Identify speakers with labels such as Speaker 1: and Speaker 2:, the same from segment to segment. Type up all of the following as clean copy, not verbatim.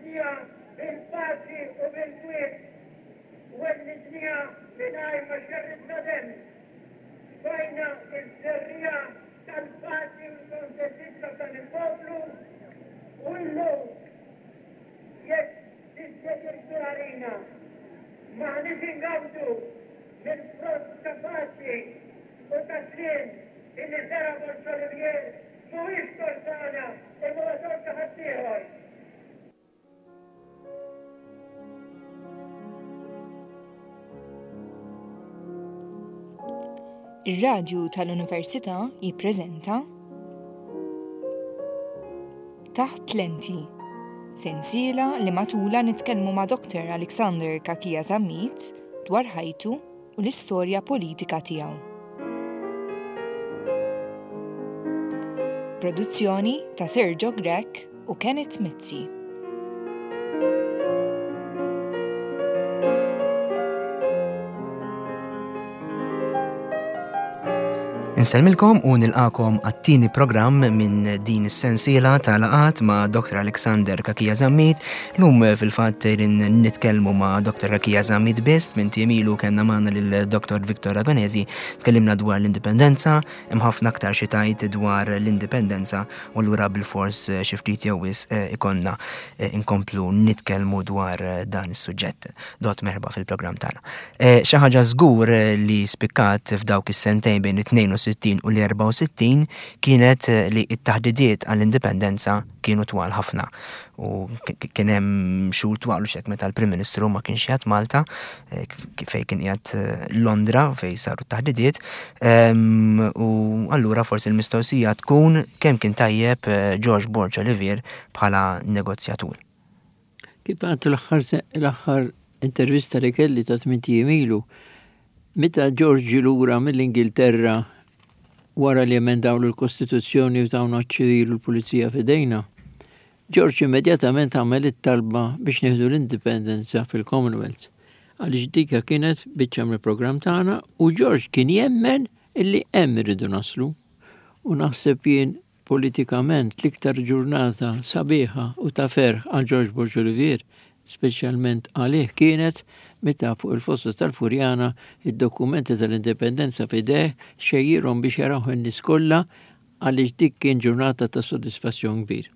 Speaker 1: Wellidniha bil-paċi u bil-kwiet. Wellidniha mingħajr ma xerridna demm. Tfajna ż-żerriegħa tal-paċi u l-kontentizza f'dan il-poplu u illum jekk dispjaċir kbir għalina, m'aħniex ingawdu mill-frott ta' paċi u ta' sliem illi żera' Borg Olivier mhuwiex tort tagħna imma huwa tort ta' ħaddieħor.
Speaker 2: Ir-Radju tal-Università jippreżenta Taħt Lenti, sensiela li matulha nitkellmu ma' Dr. Alexander Cachia Zammit dwar ħajtu u l-istorja politika tiegħu. Produzzjoni ta' Sergio Grech u Kenneth Mizzi.
Speaker 3: Insellmilkom u nilqakom għat-tieni programm minn din is-sensiela ta' laqat ma' Dr. Alexander Kakija Zammit. Lum fil-fatt nitkellmu ma' Dr. Kakija Zammit biss minn ilu kellna magħna lil Dr. Victor Agonesi, tkellimna dwar l-indipendenza, hemm ħafna aktar xi tgħid dwar l-indipendenza u allura bilfors xi ftit jew wisq ikollna inkomplu nitkellmu dwar dan is-suġġett. Dott merħba fil-programm tagħna. Eh, xi ħaġa żgur li spikkat f'dawk is-sentejn bejn it-62 u l-64 kienet li t-taħdidiet għall-indipendenza kienu twal ħafna. U kien hemm xhur twal u xek meta l-Prim Ministru ma kienx qiegħed Malta, eh, fejn kien qiegħed eh, Londra fejn saru t-taħdidiet. Ehm, u allura forsi l-mistoqsija tkun kemm kien tajjeb eh, George Borg Olivier bħala negozjatur.
Speaker 4: Kif għadt l-aħħar intervista li kelli ta' tmint ijiem ilu, meta George ġie lura mill-Ingilterra wara li emendawlu l-Kostituzzjoni u tawna ċ-ċivil u l-pulizija f'idejna, George immedjatament għamel it-talba biex nieħdu l-indipendenza fil-Commonwealth. Għaliex dika kienet biċċa mill-programm tagħna u George kien jemmen illi hemm irridu naslu. U naħseb jien Politikament l-iktar ġurnata sabiħa u ta' ferħ għal George Borg Olivier, speċjalment għalih kienet meta fuq il-fossa tal-Furjana id-dokumenti tal-Indipendenza f'idejh xejjirhom biex jarawh in-nies kollha għaliex dik kien ġurnata ta' sodisfazzjon kbir.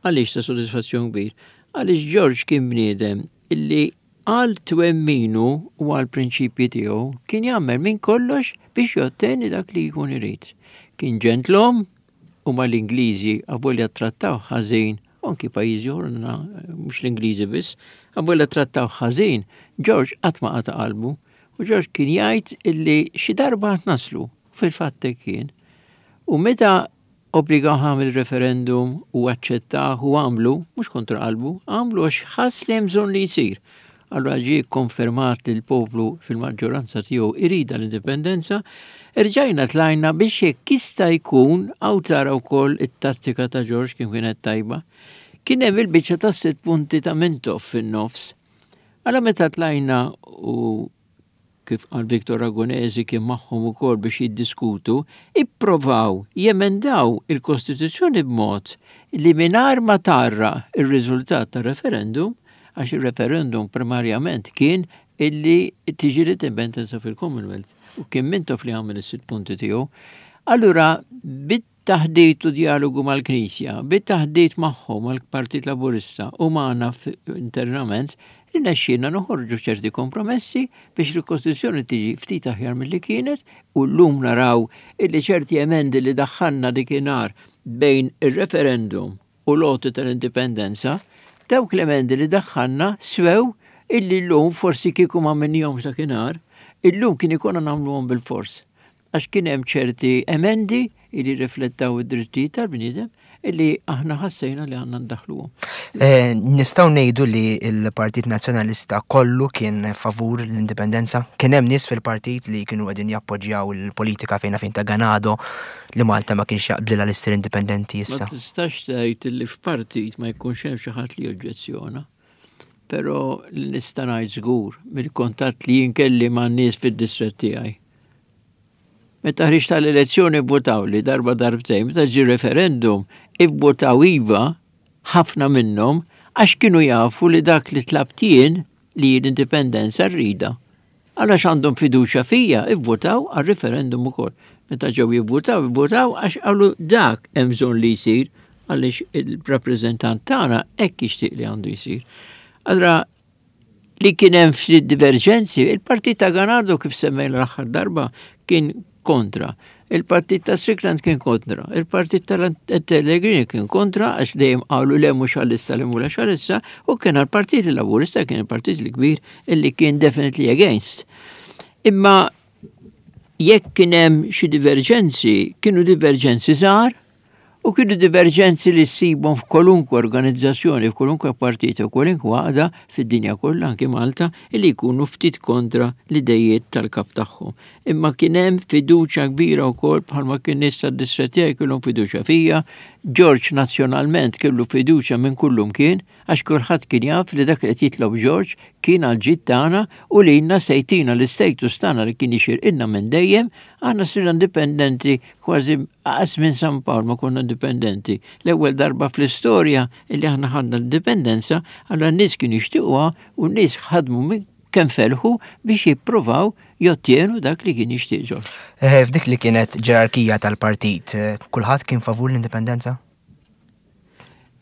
Speaker 4: Għaliex ta' sodisfazzjon kbir? Għaliex George kien bniedem illi għal twemminu u għal prinċipji tiegħu kien jagħmel minn kollox biex jotteni dak li jkun irid. Kien ġentlom u mal-Ingliżi avolja trattaw ħażin, u anki pajjiżi oħra mhux l-Ingliżi biss, avolja trattaw ħażin, George qatt ma qata' qalbu u George kien jgħid illi xi darba naslu, fil-fatt hekk kien. U meta Obbligawh għamel referendum u aċċettah u għamlu, mhux kontra qalbu, għamlu għax ħass li hemm bżonn li jsir. Allura ġie kkonfermat li l-poplu fil-maġġoranza tiegħu irida l-indipendenza, erġajna tlajna biex jekk jista' jkun hawn tara wkoll it-tattika ta' George kif kienet tajba. Kien hemm il-biċċa tas-sitt punti ta' Mintoff fin-nofs. Allura meta tlajna u kif qal Victor Ragonesi kien magħhom ukoll biex jiddiskutu, ipprovaw jemendaw il-Kostituzzjoni b'mod li mingħajr ma tgħarraq ir-riżultat tar-referendum, għax ir-referendum primarjament kien illi tiġi l-indipendenza fil-Commonwealth u kien Mintoff li għamel is-sitt punti tiegħu. Allura bit Taħdit u djalogu mal-Knisja, bit-taħdit magħhom, mal-Partit Laburista u magħna internament, irnexxielna noħorġu ċerti kompromessi biex il-Kostituzzjoni tiġi ftit aħjar milli kienet u llum naraw illi ċerti emendi li daħħalna dikinhar bejn ir-referendum u l-għoti tal-indipendenza, dawk l-emendi li daħħalna swew illi llum forsi kieku ma għamilnihomx dakinhar, illum kien ikollna nagħmluhom bilfors. Għax kien hemm ċerti emendi li riflettaw id-drittijiet tal-bniedem illi aħna ħassejna li għandna ndaħluhom.
Speaker 3: Eh, nistgħu ngħidu li l-Partit Nazzjonalista kollu kien favur l-indipendenza? Kien hemm nies fil-partit li kienu qegħdin jappoġġjaw il-politika fejn fejn ta' Ganado li Malta ma kienx jaqblilha li ssir indipendenti issa.
Speaker 4: Ma tistax tgħid li f'partit ma jkunx hemm xi ħadd li joġġezzjona. Però li nista' ngħid żgur mill-kuntatt li jien kelli ma' nies fid-distrett tiegħi Meta ħriġt tal-elezzjoni vvotawli darba darbtejn, meta ġie referendum ivvotaw iva ħafna minnhom. Għax kienu jafu li dak li tlabt jien li l-indipendenza rridha. Għax għandhom fiduċja fija, ivvutaw għal-referendum ukoll. Meta ġew jivvutaw, ivvutaw għax qalu dak hemm bżonn li jsir għaliex il-rappreżentant tagħna hekk jixtieq li għandu jsir. Allura li kien hemm ftit diverġenzi, il-partit ta' Ganardo kif semmejna l-aħħar darba kien kontra. Il-partit ta' Strickland kien kontra, il-partit tal-Pellegrini kien kontra għax dejjem qalu le mhux għalissa le mhux għalissa u kien għall-Partit Laburista kien il-partit l-kbir illi kien definitely against. Imma jekk kien hemm xi diverġenzi, kienu diverġenzi żgħar U kienu diverġenzi li ssibhom f'kwalunkwe organizzazzjoni, f'kwalunkwe partit u kwalunkwe għaqda fid-dinja kollha anki Malta li jkunu ftit kontra l-idejiet tal-kap tagħhom. Imma kien hemm fiduċja kbira wkoll bħalma kien nies tad-distrett tiegħi kellhom fiduċja fija, George nazzjonalment kellu fiduċja minn kullumkien għax kulħadd kien jaf li dak li qed jitlob George kien għall-ġid tagħna u lilna se jtina l-istatus tagħna li kien jixirqilna minn dejjem, aħna sirna indipendenti Kważi qas minn San Pawl ma konna indipendenti. L-ewwel darba fl-istorja li aħna ħadna l-indipendenza, allura n-nies kienu jixtiequha u n-nies ħadmu minn kemm felħu biex jippruvaw jottjenu dak li kien jixtieq Ġorġ.
Speaker 3: Eh, f'dik li kienet ġerarkija tal-partit, eh, kulħadd kien favur l-indipendenza?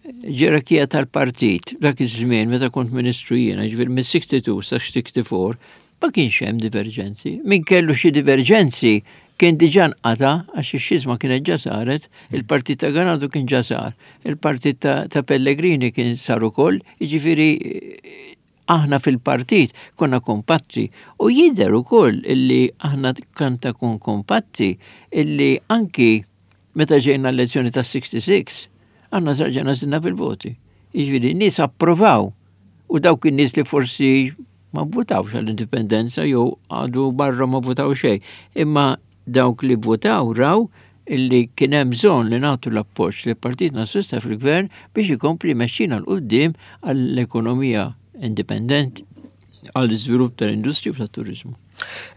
Speaker 4: Ġerarkija tal-partit, dak iż-żmien meta kont ministru jiena, ġifier minn 62 sa 64, ma kienx hemm diverġenzi. Min kellu xi diverġenzi kien diġà nqata għax ix-xiżma kienet ġa saret, il-partit ta' Ganado kien ġa sar, il-partit ta', Pellegrini kien sar ukoll, jiġifieri aħna fil-partit konna kompatti u jidher ukoll illi aħna kan ta' kun kompatti illi anki meta ġejna l-elezzjoni ta' 66 aħna sarġena zinna fil-voti. Jiġifieri nies approvaw u dawk in-nies li forsi ma vvotawx għall-indipendenza jew għadu barra ma votaw xejn. Imma dawk li votaw raw illi kien hemm bżonn li nagħtu l-appoġġ li Partit Nazzjonalista fil-Gvern biex ikompli jmexxina 'l quddiem għall-ekonomija indipendenti, għall-iżvilupp tal-industrija u tat-turiżmu.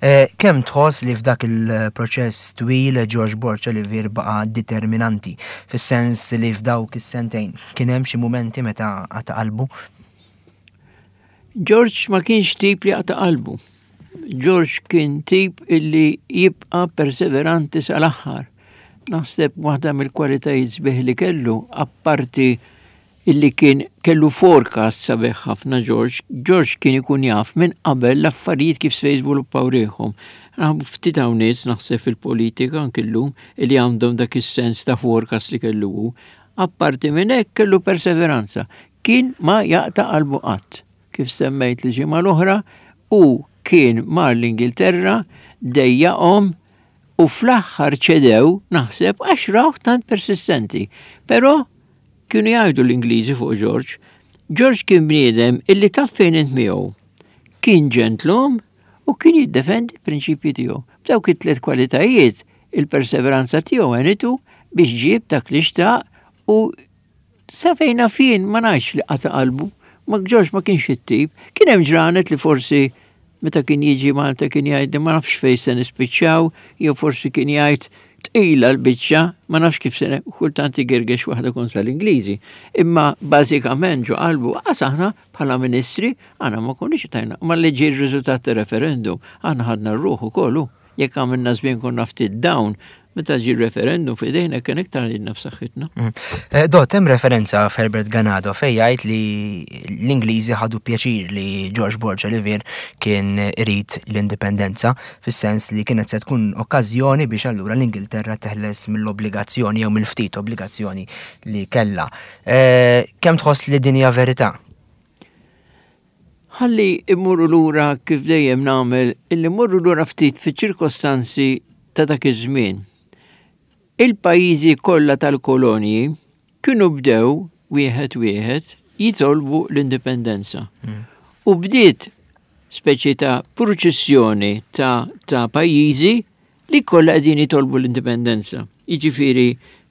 Speaker 3: Eh, kemm tħoss li f'dak il-proċess twil George Borg Olivier baqa' determinanti, fis-sens li f'dawk is-sentejn kien hemm xi mumenti meta qata' qalbu?
Speaker 4: George ma kienx tip li jaqta' qalbu. George kien tip illi jibqa' perseveranti sal-aħħar. Naħseb waħda mill-kwalitajiet sbieħ li kellu, apparti illi kien kellu forecast sabiħ ħafna George, George kien ikun jaf minn qabel l-affarijiet kif se jiżviluppaw rieħhom. Ftit hawn nies naħseb fil-politika anki llum illi għandhom dak is-sens ta' forecast li kellu hu. Apparti minn hekk kellu perseveranza. Kien ma jaqta' qalbu qatt. Kif semmejt l-ġimgħa l-oħra, hu kien mar l-Ingilterra, dejjaqhom u fl-aħħar ċedew naħseb għax rawh tant persistenti. Però kienu jgħidu l-Ingliżi fuq George. George kien bniedem illi taf fejn int miegħu. Kien ġentlom u kien jiddefendi l-prinċipji tiegħu. B'dawk it-tliet kwalitajiet, il-perseveranza tiegħu għenitu biex ġieb dak li xtaq u Sa fejn naf jien ma ngħidx li qata' qalbu, ma George ma kienx it-tip. Kien hemm ġranet li forsi meta kien jiġi Malta kien jgħid ma nafx fejn se nispiċċaw, jew forsi kien jgħid tqila l-biċċa, ma nafx kif se kultant igergex waħda kontra l-Ingliżi. Imma bażikament ġo qalbu qas aħna bħala ministri aħna ma konniex tajna, ma li ġie r-riżultat ta' referendum, aħna ħadna r-ruħ ukoll. Jekk għamilna żmien konna ftit down, meta ġie referendum f'idejna kien iktar għidna f'saħħitna. Mm.
Speaker 3: Eh, Dot, hemm referenza f'Herbert Ganado fejn jgħid li l-Ingliżi ħadu pjaċir li George Borg Olivier kien irid l-indipendenza, fis-sens li kienet se tkun okkażjoni biex allura l-Ingilterra teħles mill-obbligazzjoni jew mill-ftit obbligazzjoni li kellha. Eh, kemm tħoss li din hija verità?
Speaker 4: Ħalli immorru lura kif dejjem nagħmel illi mmorru lura ftit fiċ-ċirkostanzi ta' dak iż-żmien. Il-pajjiżi kollha tal-kolonji kienu bdew wieħed wieħed jitolbu l-indipendenza. Mm. U bdiet speċi ta' purċissjoni ta', ta pajjiżi li kollha qegħdin jitolbu l-indipendenza. Jiġifieri,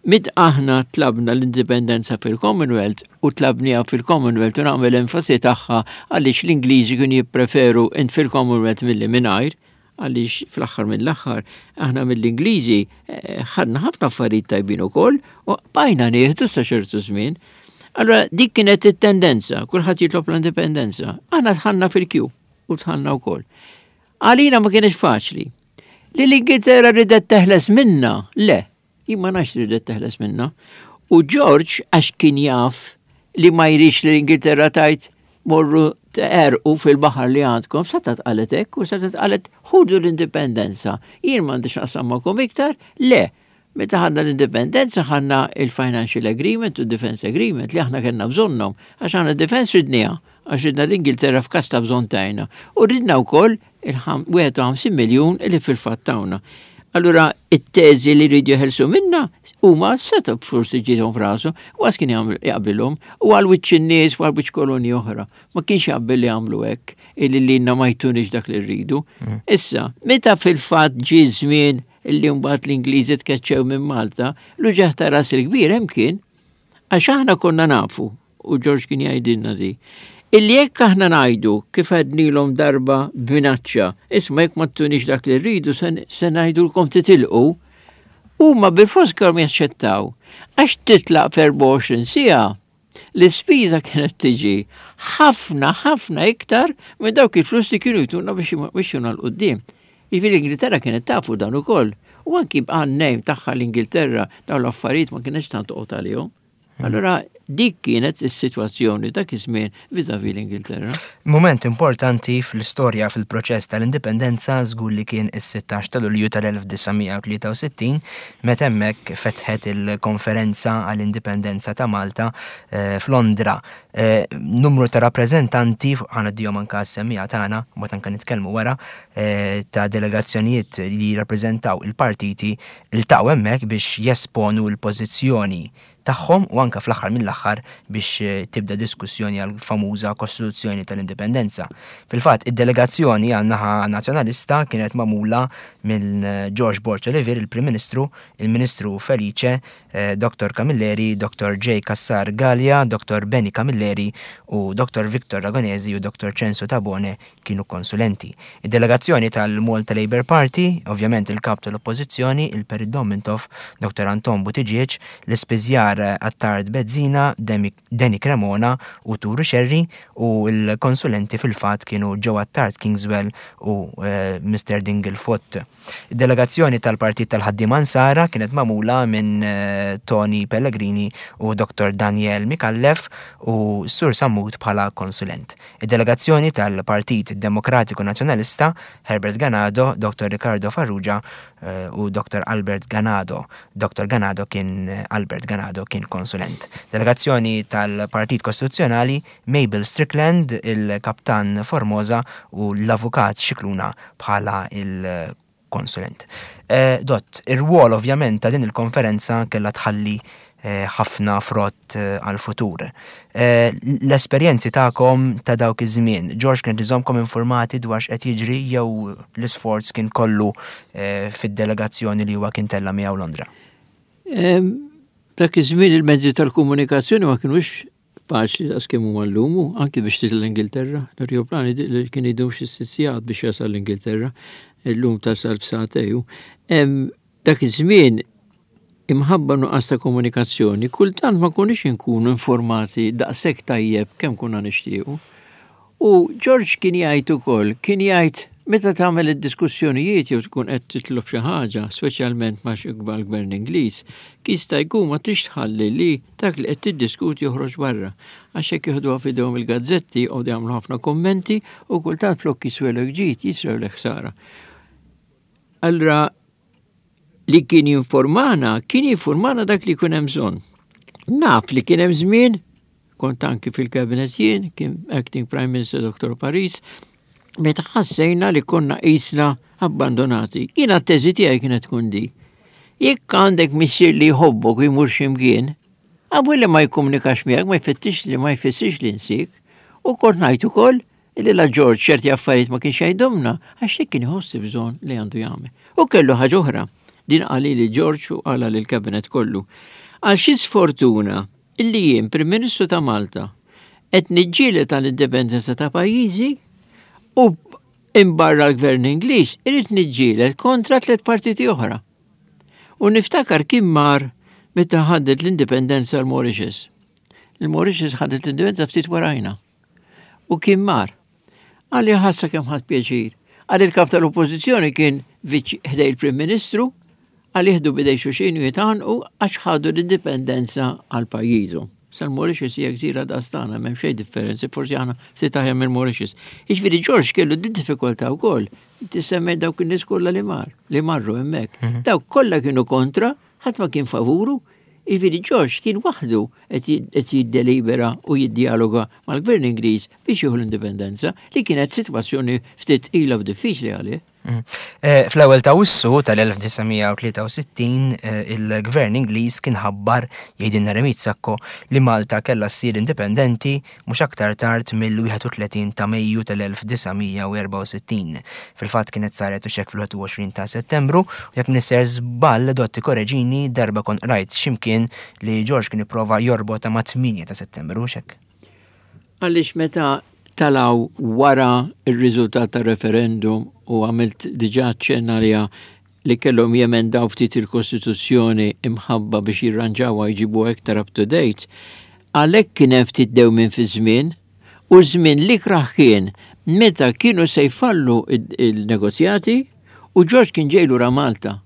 Speaker 4: mit aħna tlabna l-indipendenza fil-Commonwealth u tlabniha fil-Commonwealth u nagħmel enfasi tagħha għaliex l-Ingliżi kienu jippreferu int fil-Commonwealth milli mingħajr, għaliex fl-aħħar mill-aħħar aħna mill-Ingliżi eh, ħadna ħafna affarijiet tajbin ukoll u bajna nieħdu sa ċertu żmien. Allora dik kienet it-tendenza, kulħadd jitlob l-indipendenza. Aħna dħalna fil-kju u dħalna wkoll. Għalina ma kienx faċli. Li l-Ingilterra ridet teħles minna, le, jien ma nafx ridet teħles minna. U George, għax kien jaf li ma jridx li l-Ingilterra tajt morru terqu fil-baħar li għandkom, seta tqalet hekk u seta tqalet ħudu l-indipendenza. Jien m'għandix naqsam magħkom iktar, le. Meta ħadna l-indipendenza ħadna il-Financial Agreement u Defense Agreement li aħna kellna bżonnhom, għax aħna defense ridniha, għax ridna l-Ingilterra f'każ ta' bżonn tajna. U ridna wkoll il-51 miljun li fil-fatt tawna. Allura it-teżi li rridu jeħelsu minna huma seta' forsi ġiethom f'rasu, u għas kien jaqbilhom u għal wiċċ in-nies u għal wiċċ kolonji oħra. Ma kienx jaqbel li għamlu hekk illi lilna ma jtunix dak li rridu. Issa, meta fil-fatt ġie żmien illi mbagħad l-Ingliżi tkeċċew minn Malta, l-uġigħ ta' ras il-kbir hemm kien għax aħna konna nafu, u George kien jgħidilna di, illi jekk aħna ngħidu kif għednilhom darba b'minaċċa, isma' jekk ma ttunix dak li rridu se ngħidulkom titilqu, huma bilfors kellhom jaċċettaw. Għax titlaq f'24 siegħa, l-ispiża kienet tiġi ħafna ħafna iktar minn dawk il-flus li kienu jtuna biex juna l-qoddim. Jiġifieri l-Ingilterra kienet tafu dan ukoll. U anki għan-nejm tagħha l-Ingilterra dawn l-affarijiet ma kienx tant toqgħod għalihom. Allura dik kienet is-sitwazzjoni dak iż-żmien vis-à-vis l-Ingilterra.
Speaker 3: Mument importanti fl-istorja fil-proċess tal-indipendenza żgur li kien is-16 ta' Lulju tal-1963 meta hemmhekk fetħet il-konferenza għall-indipendenza ta' Malta f'Londra. Numru ta' rappreżentanti, ħa ngħaddihom anke għas-semmiegħa tagħna, mbagħad anke nitkellmu wara, ta' delegazzjonijiet li jirrappreżentaw il-partiti ltaqgħu hemmhekk biex jesponu l-pożizzjoni tagħhom u anke fl-aħħar mill-aħħar biex tibda diskussjoni għall-famuża Kostituzzjoni tal-Indipendenza. Fil-fatt, id-delegazzjoni għan-naħa Nazzjonalista kienet magħmula minn George Borg Olivier, il-Prim Ministru, il-Ministru Felice, Dottor Camilleri, Dottor J. Cassar Galea, Dottor Benny Camilleri u Dottor Victor Ragonesi u Dottor Censu Tabone kienu konsulenti. Id-delegazzjoni tal-Malta Labour Party, ovvjament il-Kap tal-Oppożizzjoni, il-Perit Dom Mintoff, Dottor Anton Buttigieg, l-Ispiżjar Attard Bezzina, Danny Cremona u Turu Scerri u l-konsulenti fil-fatt kienu Joe Attard Kingswell u Mister Dingle Foot. Id-delegazzjoni tal-Partit tal-Ħaddiema Nsara kienet magħmula minn Tony Pellegrini u Dottor Daniel Micallef u Sur Sammut bħala konsulent. Id-delegazzjoni tal-Partit Demokratiku Nazzjonalista, Herbert Ganado, Dottor Ricardo Farrugia u Dottor Albert Ganado. Dottor Ganado kien Albert Ganado kien konsulent. Delegazzjoni tal-Partit Kostituzzjonali, Mabel Strickland, il-Kaptan Formosa u l-Avukat Scicluna bħala il-konsulent. Dott, ir-rwol ovvjament ta' din il-konferenza kellha tħalli ħafna frott għall-futur. L-esperjenzi tagħkom ta' dawk iż-żmien, George kien iżommkom informati dwar x'qed jiġri jew l-isforz kien kollu fid-delegazzjoni li huwa kien tella' miegħu Londra?
Speaker 4: Dak iż-żmien il-mezzi tal-komunikazzjoni ma kinux faċli daqs kemm huma llum, u anki biex titla' l-Ingilterra, l-ajruplan li kien idum xi sitt sigħat biex jasal l-Ingilterra, illum tasal f'sagħtej. Dak iż-żmien imħabba nuqqas ta' komunikazzjoni, kultant ma konniex inkunu informati daqshekk tajjeb kemm konna nixtiequ. U George kien jgħid ukoll, kien jgħid meta tagħmel id-diskussjonijiet jew tkun qed titlob xi ħaġa, speċjalment ma' xi gvern Ingliż, jista' jkun ma tridx tħalli li dak li qed tiddiskuti joħroġ barra. Għax hekk jieħduha f'idejhom il-gazzetti, joqogħdu jagħmlu ħafna kummenti u kultant flok jiswelek ġid, jiswelek ħsara. Allura li kien jinformana, kien jinformana dak li jkun hemm bżonn. Naf li kien hemm żmien, kont anki fil-cabinet jien, kien acting Prime Minister Dr. Paris, meta ħassejna li konna qisna abbandonati. Jiena t-teżi tiegħi kienet tkun di. Jekk għandek missier li jħobbok u jmur x'imkien, għabu li ma jikkomunikax miegħek ma jfittix li ma jfissirx li nsik. U kont ngħid ukoll Illi la George ċerti affarijiet ma kienx jgħidhomna għax hekk kien iħoss bżonn li għandu jagħmel. U kellu ħaġa oħra. Din qali li George u qala lil kabinet kollu. Għal xi sfortuna illi jien Prim Ministru ta' Malta qed niġġieled għall-indipendenza ta' pajjiżi u imbarra l-Gvern Ingliż irid niġġieled kontra tliet partiti oħra. U niftakar kien mar meta ħadet l-indipendenza l-Mauritius. Il-Mauritius ħadet l-indipendenza ftit warajna. U kien mar. Qalli ħassa kemm ħadt pjaċir. Qal il-kap tal-oppożizzjoni kien viċ ħdej il-Prim Ministru, qal jieħdu bidej xulxin u jitgħannqu għax ħadu l-indipendenza għal pajjiżhom. Sal-Mauritius hija gżira daqs tagħna, m'hemm xejn differenzi, forsi aħna ftit aħjar mill-Mauritius. Jiġifieri George kellu din diffikultà wkoll. Inti semmejt dawk in-nies kollha li mar, li marru hemmhekk. Dawk kollha kienu kontra, ħadd ma kien favuru. Jiġifieri George kien waħdu qed jiddelibera u jiddialoga mal-Gvern Ingliż biex jieħu l-indipendenza, li kienet sitwazzjoni ftit tqila u diffiċli għalih.
Speaker 3: Fl-ewwel ta' Awwissu tal-1963 il-Gvern Ingliż kien ħabbar, jgħidilna Remit Sacco, li Malta kellha ssir indipendenti mhux aktar tard mill-31 ta' Mejju tal-1964. Fil-fatt kienet saret u x'hekk fil-21 ta' Settembru, u jekk m'iniex sejjer żball, Dott ikkoreġini, darba kont qrajt xi mkien li George kien ipprova jorbotha mat-8 ta' Settembru, hux hekk?
Speaker 4: Għaliex meta talgħu wara r-riżultat tar-referendum u għamilt diġà aċċenn għaliha li kellhom jemendaw ftit il-Kostituzzjoni imħabba biex jirranġawha jġibuha iktar up to date, għalhekk kien hemm ftit dewmien fiż-żmien u ż-żmien l-ikrah kien meta kienu se jfallu il-negozjati u George kien ġej lura Malta.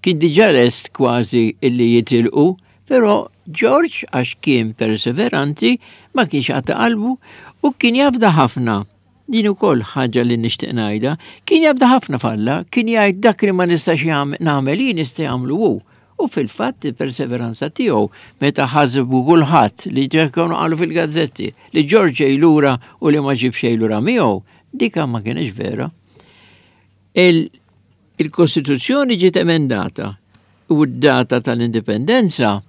Speaker 4: Kien diġà lest kważi illi jitilqu, però George għax kien perseveranti ma kienx qata' qalbu u kien jafda ħafna. Din ukoll ħaġa li nixtieq ngħidha, kien jafda ħafna f'Alla, kien jgħid dak li ma nistax nagħmel jien jista' jagħmlu hu. U fil-fatt il-perseveranza tiegħu meta ħasbu kulħadd li kienu qalu fil-gazzetti li George ġej lura u li ma ġib xejn lura miegħu, dika ma kienx vera. Il-Kostituzzjoni ġiet emendata u d-data tal-indipendenza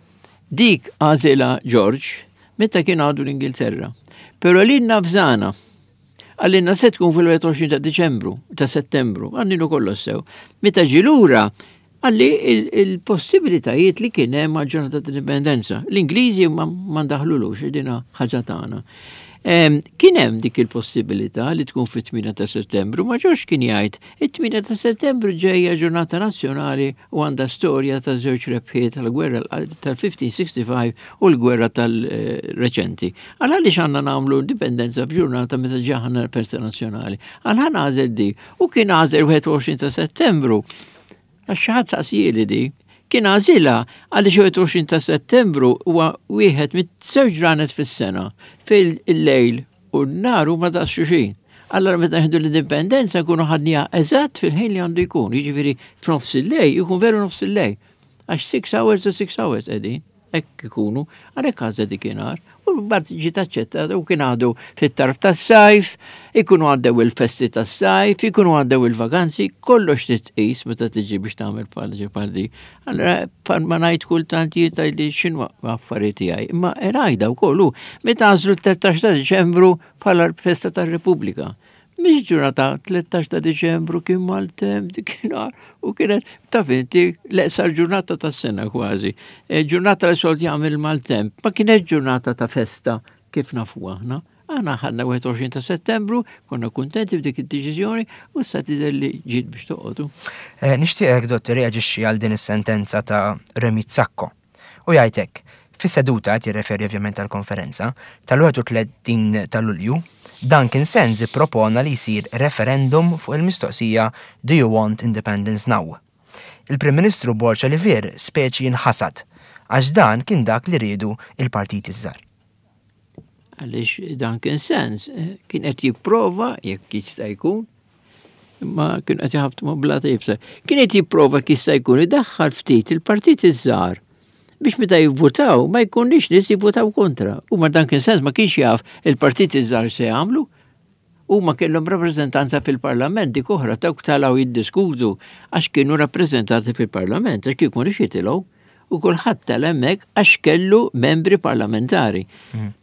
Speaker 4: dik għażilha George meta kien għadu l-Ingilterra. Però lilna fżana għallinna se tkun fil-21 ta' Diċembru, ta' Settembru, għanninu kollox sew. Meta ġie lura, għalli il-possibilitajiet li kien hemm għal ġurnata tal-indipendenza. L-Ingliżi ma ndaħlulux, dina ħaġa tagħna. Kien hemm dik il-possibilità li tkun fit-8 ta' Settembru, ma George kien jgħid it-8 ta' Settembru ġejja ġurnata nazzjonali u għandha storja ta' żewġ rebħiet tal-gwerra tal-1565 u l-gwerra tal-reċenti. Għal għaliex għandna nagħmlu indipendenza f'ġurnata meta ġaħna festa nazzjonali. Għal ħa nagħżel di u kien għażel 21 ta' Settembru. Għax xi ħadd saqsieli di. Kien għażilha għaliex 21 ta' Settembru huwa wieħed mit-żewġ ġranet fis-sena fejn il-lejl u n-nar huma daqs xulxin. Allora meta nieħdu l-indipendenza nkunu ħadniha eżatt fil-ħin li għandu jkun, jiġifieri f'nofs il-lejl jkun veru nofs il-lejl. Għax 6 hours u 6 hours qegħdin. Hekk ikunu, għalhekk għażel dik inhar. U mbagħad ġiet aċċettata u kien għadu fit-tarf tas-sajf, ikunu għaddew il-festi tas-sajf, ikunu għaddew il-vaganzi, kollox titqis meta tiġi biex tagħmel bħal bħal di. Allora bħal ma ngħid kultant jgħid li x'inhu affarijiet tiegħi, imma ngħidha wkoll hu meta għażlu 13 ta' Diċembru bħala festa tar-Repubblika. Mhix ġurnata 13 ta' Diċembru kien maltemp dikinhar u kienet taf inti l-eqsar ġurnata tas-sena kważi. E, ġurnata li solt jagħmel maltemp, ma kienet ġurnata ta' festa kif nafu aħna. Aħna ħadna 21 ta' Settembru, konna kuntenti b'dik id-deċiżjoni u issa tidher li ġiet biex toqgħodu.
Speaker 3: E, nixtieqek dottor reaġixxi għal din is-sentenza ta' Remi Zacco. U jgħid hekk, Fis-seduta, qed jirreferi ovvjament għall-konferenza, tal-31 ta' Lulju, Duncan Sands ippropona li jsir referendum fuq il-mistoqsija Do you want independence now? Il-Prim Ministru Borg Olivier speċi inħasad għax dan kien dak li riedu il-partiti ż-żgħar.
Speaker 4: Għaliex Duncan Sands eh, kien qed jipprova jekk jista' jkun imma kien qed jħabtu ma' blata jibsa. Kien qed jipprova kif jista' jkun idaħħal ftit il-partiti ż-żgħar biex meta jivvutaw ma jkunniex nies jivvutaw kontra. U ma Duncan Sands ma kienx jaf il-partiti żgħar se jagħmlu. Huma kellhom rappreżentanza fil-parlament dik oħra dawk talgħu jiddiskutu għax kienu rappreżentati fil-parlament għax kieku mhux jitilgħu. U kulħadd tela' hemmhekk għax kellu membri parlamentari.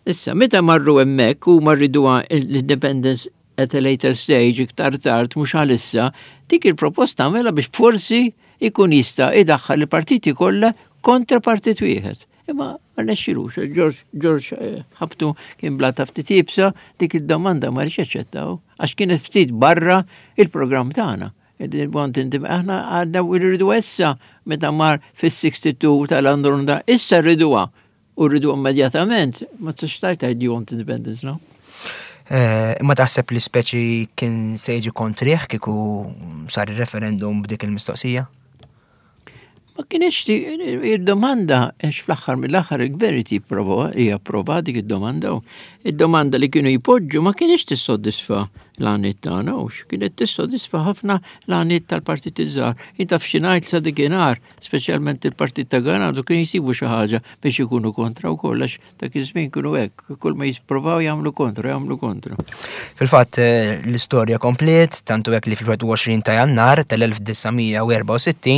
Speaker 4: Issa, meta marru hemmhekk huma rriduha l-independence at a later stage, iktar tard, mhux għalissa, dik il-proposta għamela biex forsi ikun jista' idaħħal il-partiti kollha kontra partit wieħed. Imma ma rnexxilux, George, George eh, ħabtu kien blata ftit iebsa, dik id-domanda ma rridx jaċċettaw, għax kienet ftit barra il-programm tagħna. Aħna għadna rridu issa meta mar fis-62 tal-Andronda, issa rriduha. U rridu immedjatament, ma tistax tgħid tgħid you want independence now.
Speaker 3: Eh, imma taħseb li speċi kien se jiġi kontrih kieku sar il-referendum b'dik il-mistoqsija?
Speaker 4: Ma kienx id-domanda għax fl-aħħar mill-aħħar il-gvern irid jipprova japprova dik id-domanda. Id-domanda li kienu jpoġġu ma kienx tissodisfa l-għaniet tagħna u kienet tissodisfa ħafna l-għaniet tal-partit iż-żgħar. Inta f'xi ngħid sa dikinhar, speċjalment il-partit ta' Ganado kien jsibu xi ħaġa biex ikunu kontra wkoll għax Dak iż-żmien kienu hekk, kull ma jisprovaw jagħmlu kontra, jagħmlu kontra.
Speaker 3: Fil-fatt eh, l-istorja kompliet, tantu hekk li fil-21 ta' Jannar tal-1964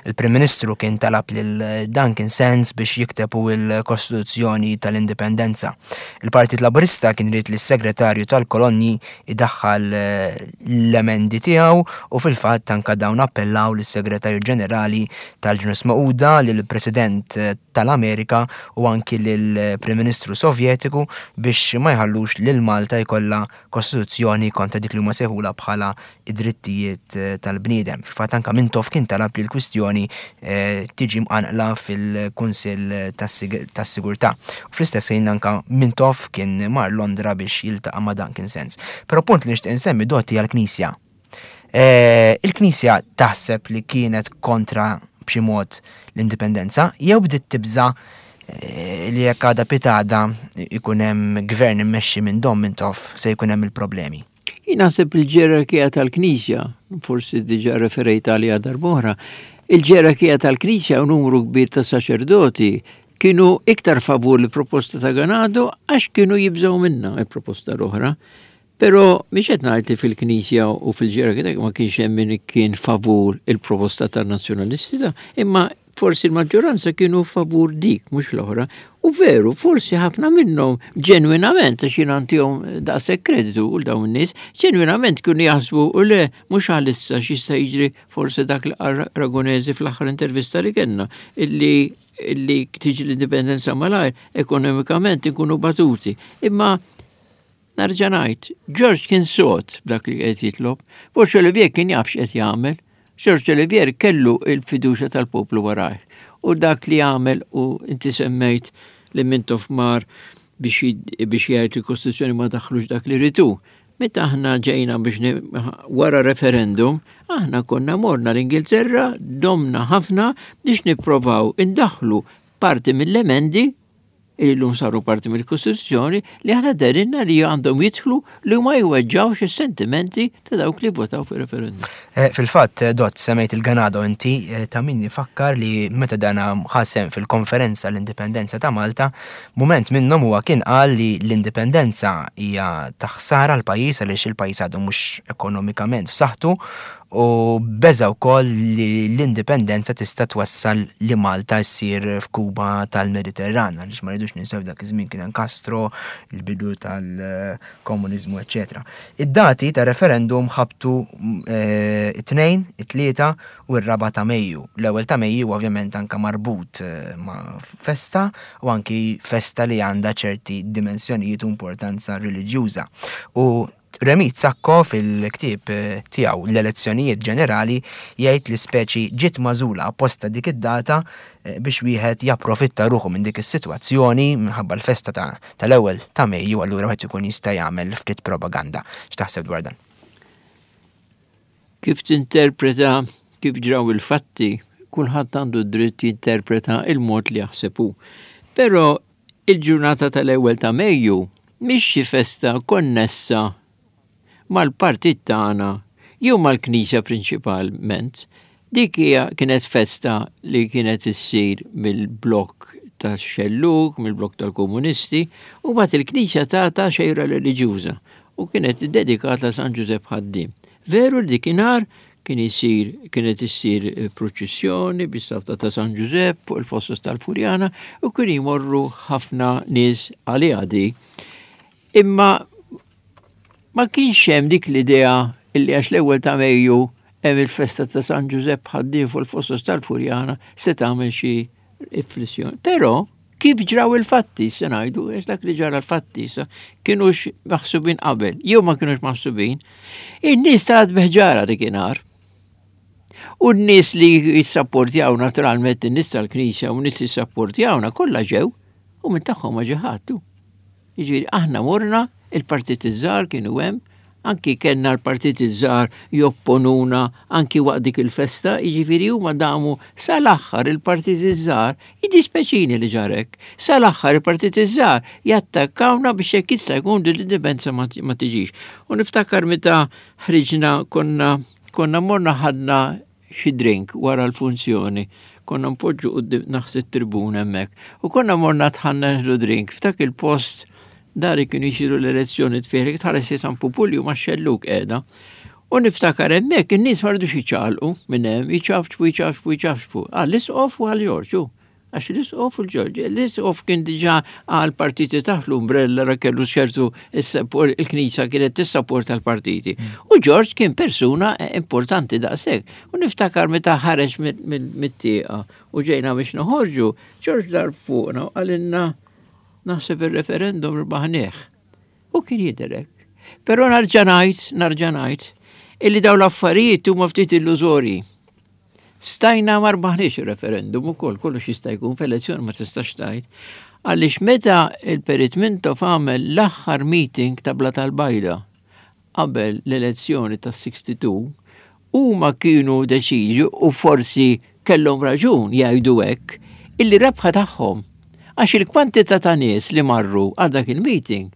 Speaker 3: il-Prim Ministru kien talab lil Duncan Sands biex jikteb hu l-Kostituzzjoni tal-Indipendenza. Il-Partit Laburista kien irid li s-Segretarju tal-Kolonji idaħħal eh, l-emendi tiegħu u fil-fatt anka dawn appellaw lis-Segretarju Ġenerali tal-Ġnus Magħquda, lill-President eh, tal-Amerika u anki lill-Prim Ministru Sovjetiku biex ma jħallux lil Malta jkollha kostituzzjoni kontra dik li huma sejħulha bħala id-drittijiet tal-bniedem. Fil-fatt anke Mintoff kien talab li l-kwistjoni tiġi mqanqla fil-Kunsill tas-Sigurtà. U fl-istess ħin anke Mintoff kien mar Londra biex jiltaqa' ma' Duncan Sands. Però punt li nixtieq insemmi Dott hija l-Knisja. Eh, il-Knisja taħseb li kienet kontra b'xi mod l-indipendenza jew bdiet tibża eh, li jekk għada pitada ikun hemm gvern immexxi minn Dom Mintoff se jkun hemm il-problemi.
Speaker 4: Jien naħseb il-ġerarkija tal-Knisja, forsi diġà referejt għaliha darb'oħra, il-ġerarkija tal-Knisja u numru kbir ta' saċerdoti kienu iktar favur l-proposta ta' Ganado għax kienu jibżgħu minna il-proposta l-oħra. Però mhix qed ngħid li fil-Knisja u fil-ġerarkija ma kienx hemm min kien favur il-proposta tan-Nazzjonalisti ta' imma forsi l-maġġoranza kienu favur dik mhux l-oħra. U veru, forsi ħafna minnhom ġenwinament għax jien għandihom daqshekk kreditu u dawn in-nies, ġenwinament kienu jaħsbu u le mhux għalissa x'jista' jiġri forsi dak li qal Ragonesi fl-aħħar intervista li kellna illi illi tiġi l-indipendenza malajr ekonomikament inkunu batuti. Imma Nerġa' ngħid, George kien sod b'dak li qed jitlob. Forsi Olivier kien jaf x'qed jagħmel. George Olivier kellu il-fiduċja tal-poplu warajh. U dak li għamel u inti semmejt li Mintoff mar biex jgħid li l-Kostituzzjoni ma daħħlux dak li ritu. Meta aħna ġejna biex wara referendum, aħna konna morna l-Ingilterra, domna ħafna biex nipprovaw indaħħlu parti mill-emendi li llum saru parti mill-Kostituzzjoni li aħna derinna li għandhom jidħlu li ma jweġġawx is-sentimenti ta' dawk li votaw fir-referendum.
Speaker 3: Eh, fil-fatt, eh, Dott, semmejt il-Ganado inti, eh, ta' min ifakkar li meta dana ħasem fil-konferenza l-indipendenza ta' Malta, mument minnhom huwa kien qal li l-indipendenza hija ta' ħsara l-pajjiż għaliex il-pajjiż għadu mhux ekonomikament f'saħħtu u beża' wkoll li l-indipendenza tista' twassal li Malta ssir f'Kuba tal-Mediterran, għaliex ma rridux ninsew dak iż-żmien kien hemm Castro, il-bidu tal-komuniżmu, eċċetera. Id-dati tar-referendum ħabtu eh, it-tnejn, it-tlieta u r-raba' ta' Mejju. L-ewwel ta' Mejju ovvjament anke marbut eh, ma' festa u anki festa li għandha ċerti dimensjonijiet u importanza reliġjuża. U Remi Sacco fil-ktieb tiegħu L-Elezzjonijiet Ġenerali jgħid li speċi ġiet magħżula apposta dik id-data biex wieħed japprofitta ruħu minn dik is-sitwazzjoni minħabba l-festa tal-ewwel ta' Mejju allura wieħed ikun jista' jagħmel ftit propaganda. X'taħseb dwar dan?
Speaker 4: Kif tinterpreta kif ġraw il-fatti, kulħadd għandu d-dritt jinterpreta il-mod li jaħseb hu. Però Il-ġurnata tal-ewwel ta' Mejju mhix xi festa konnessa mal-partit tagħna jew mal-Knisja prinċipalment. Dik hija kienet festa li kienet issir mill-blokk tax-xellug, mill-blokk tal-komunisti, u mbagħad il-Knisja tagħta xejra reliġjuża u kienet iddedikata San Ġużepp Ħaddiem. Veru li dikinhar kien isir kienet issir eh, proċessjoni bis-safta ta' San Ġużepp fuq il-fossos tal-Furjana u kien jmorru ħafna nies għaliha di. Imma ma kienx hemm dik l-idea illi għax l-ewwel ta' Mejju hemm il-festa ta' San Ġużepp ħaddiem fuq il-fossos tal-Furjana se tagħmel xi riflessjoni. Però kif ġraw il-fatti, se ngħidu, għax dak li ġara l-fatti sa kienux maħsubin qabel, jew ma kienux maħsubin, in-nies tarat biħġara dikinhar. U n-nies li jissapportjaw naturalment in-nies tal-Knisja u n-nies li jissapportjawna kollha ġew. U minn tagħhom ma ġie ħadd. Jiġifieri aħna morna, il-partiti żgħar kienu hemm, anki kellna l-partiti żgħar jopponuna anki waqt dik il-festa, jiġifieri huma damu sal-aħħar il-partiti żgħar, jiddispeċini li ġarek, sal-aħħar il-partiti żgħar jattakkawna biex jekk jista' jkun din l-indipendenza ma tiġix. U niftakar meta ħriġna konna konna morna ħadna xi drink wara l-funzjoni. Konna npoġġu quddiem naħs it-tribuna hemmhekk. U konna morna tħanna nieħdu drink f'dak il-post dari kienu jsiru l-elezzjoni tfieħ tħares San Pupulju ma' xelluk qiegħda. U niftakar hemmhekk in-nies ma rridux jiċċaqalqu minn hemm, jiċafċfu, jiċafċfu, jiċafċfu. Għall-isqof u għal Ġorġu. Għax l-isqof u l-Ġorġ, l-isqof kien diġà għal partiti taħt l-umbrella ra kellu ċertu il-Knisja kienet tissapporta l-partiti. Mm. U Ġorġ kien persuna importanti daqshekk. U niftakar meta ħareġ mit-tieqa u ġejna biex noħorġu, Ġorġ dar fuqna u qalilna naħseb ir-referendum rbaħnieh. U kien jidher hekk. Però narġa' ngħid, narġa' ngħid, illi dawn l-affarijiet huma ftit illużorji. Stajna ma rbaħniex ir-referendum ukoll, kollox jista' jkun f'elezzjoni ma tistax tgħid. Għaliex meta il-Perit Mintoff għamel l-aħħar meeting ta' Bla tal-Bajda qabel l-elezzjoni tas-62, huma kienu deċiżi u forsi kellhom raġun jgħidu hekk illi rebħa tagħhom għax il-kwantità ta' nies li marru għal dak il-meeting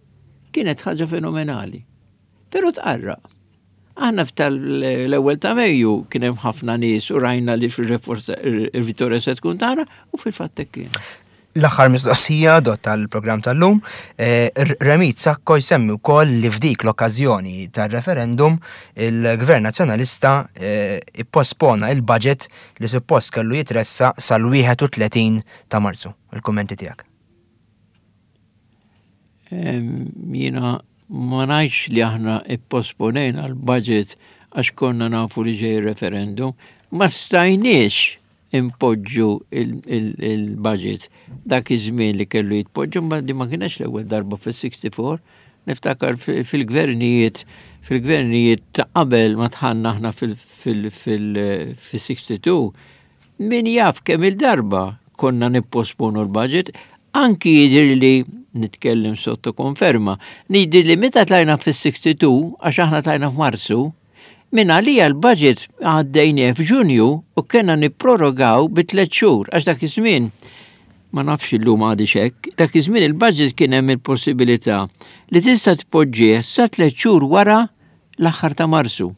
Speaker 4: kienet ħaġa fenomenali. Però tqarraq. Aħna f'tal-ewwel ta' Mejju kien hemm ħafna nies u rajna li fil-vittorja se tkun tagħna u fil-fatt hekk kien.
Speaker 3: L-aħħar mistoqsija dot tal-programm tal-lum, eh, Remit Sacco jsemmi wkoll li f'dik l-okkażjoni tar-referendum il-Gvern Nazzjonalista eh, ippospona il-budget li suppost kellu jitressa sal-31 ta' Marzu. Il-kummenti tiegħek.
Speaker 4: Jiena ma ngħidx li aħna ipposponejna l-budget għax konna nafu li ġej referendum, ma stajniex impoġġu il-budget dak iż-żmien li kellu jitpoġġu, ma di ma kienx l-ewwel darba fis-64, niftakar fil-gvernijiet fil-gvernijiet ta' qabel ma tħanna aħna fil-62, Min jaf kemm-il darba konna nipposponu l-budget, anki jidhirli, nitkellem sotto konferma, jidhirli meta tlajna fis-62, għax aħna tlajna f'Marzu, minn għalija l-budget għaddejnieh f'Ġunju u kellna nipprorogaw bi tliet xhur, għax dak iż-żmien, ma nafx illum għadix hekk, dak iż-żmien il-budget kien hemm il-possibilità li tista' tpoġġih sa tliet xhur wara l-aħħar ta' Marzu.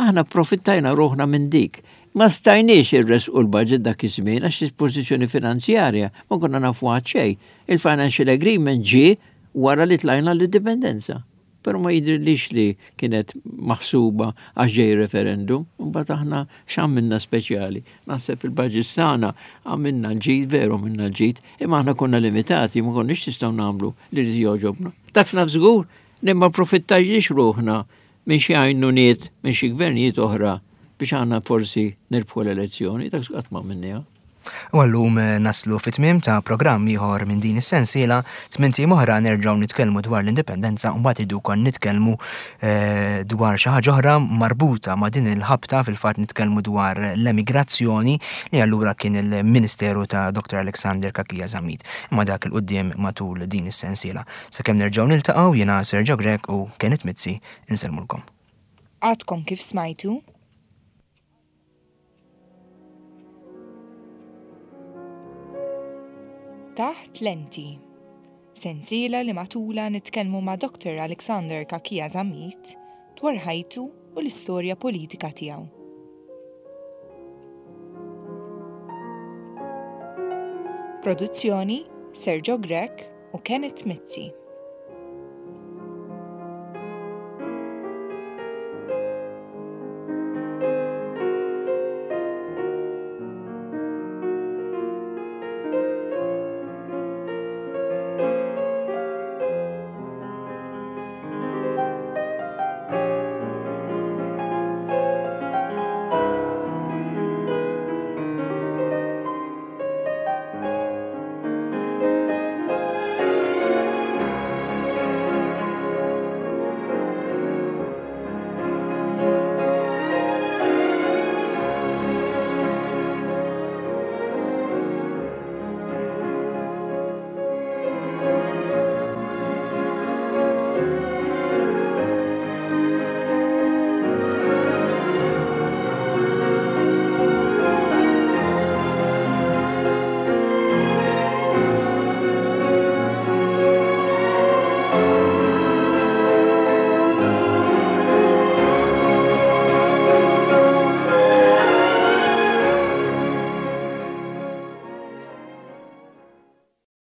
Speaker 4: Aħna pprofittajna ruħna minn dik. Ma stajniex irressqu l-budget dak iż-żmien għax il-pożizzjoni finanzjarja ma konna nafu għad xejn. Il-financial agreement ġie wara li tlajna l-indipendenza. Però ma jidhirlix li kienet maħsuba għax ġej referendum. Imbagħad aħna x'għamilna speċjali? Naħseb il-budgets tagħna għamilna l-ġid, veru għamilna l-ġid, imma aħna konna limitati, ma konniex nistgħu nagħmlu li rrid jogħġobna. Dak naf żgur li ma profittajniex ruħna minn xi għajnuniet minn xi gvernijiet oħra biex aħna forsi nirbħu l-elezzjoni, dak qatt ma għamilniha.
Speaker 3: U għallum eh, naslu fit-tmiem ta' programm ieħor minn din is-sensiela, tmint ijiem oħra nerġgħu nitkellmu dwar l-indipendenza u mbagħad idu kon nitkellmu eh, dwar xi ħaġa oħra marbuta ma' din il-ħabta fil-fatt nitkellmu dwar l-emigrazzjoni li allura kien il-Ministeru ta' Dr. Alexander Kakija Zammit. Imma dak il-qudiem matul din is-sensiela. Sakemm nerġgħu niltaqgħu jiena Sergio Grech u Kenneth Mizzi insellmulkom.
Speaker 2: Għadkom kif smajtu? Taħt Lenti. Sensiela li matulha nitkellmu ma' Dr. Alexander Cachia Zammit dwar ħajtu u l-istorja politika tiegħu. Produzzjoni Sergio Grech u Kenneth Mizzi.